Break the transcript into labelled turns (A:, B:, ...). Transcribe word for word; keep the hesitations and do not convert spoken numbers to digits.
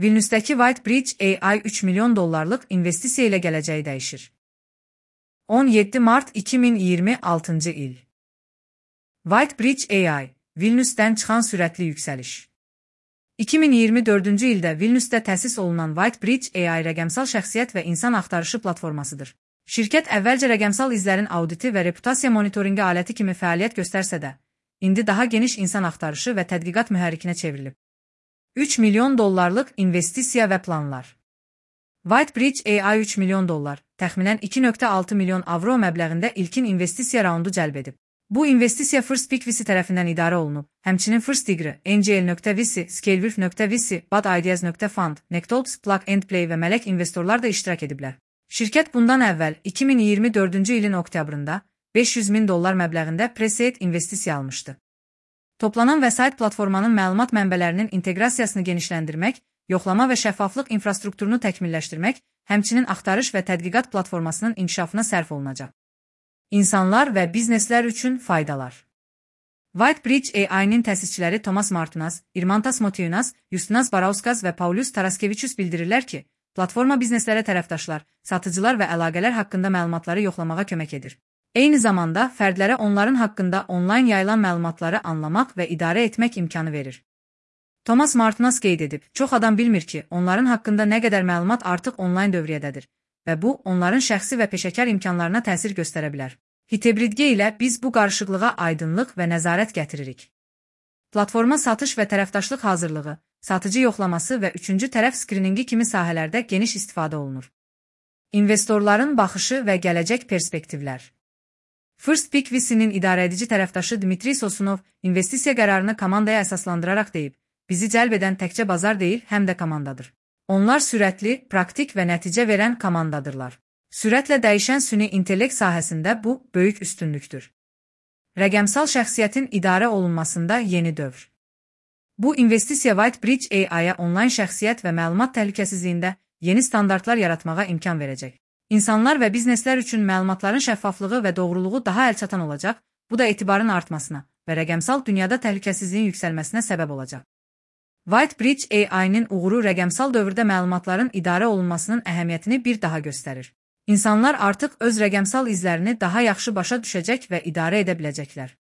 A: Vilnius'daki WhiteBridge A I üç milyon dollarlıq investisiya ilə gələcəyi dəyişir. on yeddi mart iki min iyirmi altıncı il. WhiteBridge A I, Vilnius'dən çıxan sürətli yüksəliş. iki min iyirmi dördüncü ildə Vilnius'da təsis olunan WhiteBridge A I rəqəmsal şəxsiyyət və insan axtarışı platformasıdır. Şirkət əvvəlcə rəqəmsal izlərin auditi və reputasiya monitorinqi aləti kimi fəaliyyət göstərsə də, indi daha geniş insan axtarışı və tədqiqat mühərrikinə çevrilib. üç milyon dollarlıq investisiya və planlar. WhiteBridge A I üç milyon dollar, təxminən iki nöqtə altı milyon avro məbləğində ilkin investisiya raundu cəlb edib. Bu investisiya FirstPick V C tərəfindən idarə olunub, həmçinin FirstDegree, N G L nöqtə V C, Scalewolf nöqtə V C, Bad Ideas nöqtə Fund, Nectalks, Plug and Play və mələk investorlar da iştirak ediblər. Şirkət bundan əvvəl iki min iyirmi dördüncü ilin oktyabrında beş yüz min dollar məbləğində pre-seed investisiya almışdı. Toplanan vəsait platformanın məlumat mənbələrinin inteqrasiyasını genişləndirmək, yoxlama və şəffaflıq infrastrukturunu təkmilləşdirmək, həmçinin axtarış və tədqiqat platformasının inkişafına sərf olunacaq. İnsanlar və bizneslər üçün faydalar. WhiteBridge A I-nin təsisçiləri Tomas Martunas, Irmantas Motiunas, Justinas Barauskas və Paulius Taraskevičius bildirirlər ki, platforma bizneslərə tərəfdaşlar, satıcılar və əlaqələr haqqında məlumatları yoxlamağa kömək edir. Eyni zamanda fərdlərə onların haqqında onlayn yayılan məlumatları anlamaq və idarə etmək imkanı verir. Tomas Martunas qeyd edib, çox adam bilmir ki, onların haqqında nə qədər məlumat artıq onlayn dövriyyədədir və bu, onların şəxsi və peşəkar imkanlarına təsir göstərə bilər. Hitebridge ilə biz bu qarışıqlığa aydınlıq və nəzarət gətiririk. Platforma satış və tərəfdaşlıq hazırlığı, satıcı yoxlaması və üçüncü tərəf skriningi kimi sahələrdə geniş istifadə olunur. İnvestorların baxışı və gələcək perspektivlər. FirstPick V C-nin idarəedici tərəfdaşı Dmitri Sosunov investisiya qərarını komandaya əsaslandıraraq deyib, bizi cəlb edən təkcə bazar deyil, həm də komandadır. Onlar sürətli, praktik və nəticə verən komandadırlar. Sürətlə dəyişən süni intellekt sahəsində bu, böyük üstünlükdür. Rəqəmsal şəxsiyyətin idarə olunmasında yeni dövr. Bu investisiya WhiteBridge A I-ya onlayn şəxsiyyət və məlumat təhlükəsizliyində yeni standartlar yaratmağa imkan verəcək. İnsanlar və bizneslər üçün məlumatların şəffaflığı və doğruluğu daha əlçatan olacaq, bu da etibarın artmasına və rəqəmsal dünyada təhlükəsizliyin yüksəlməsinə səbəb olacaq. WhiteBridge A I-nin uğuru rəqəmsal dövrdə məlumatların idarə olunmasının əhəmiyyətini bir daha göstərir. İnsanlar artıq öz rəqəmsal izlərini daha yaxşı başa düşəcək və idarə edə biləcəklər.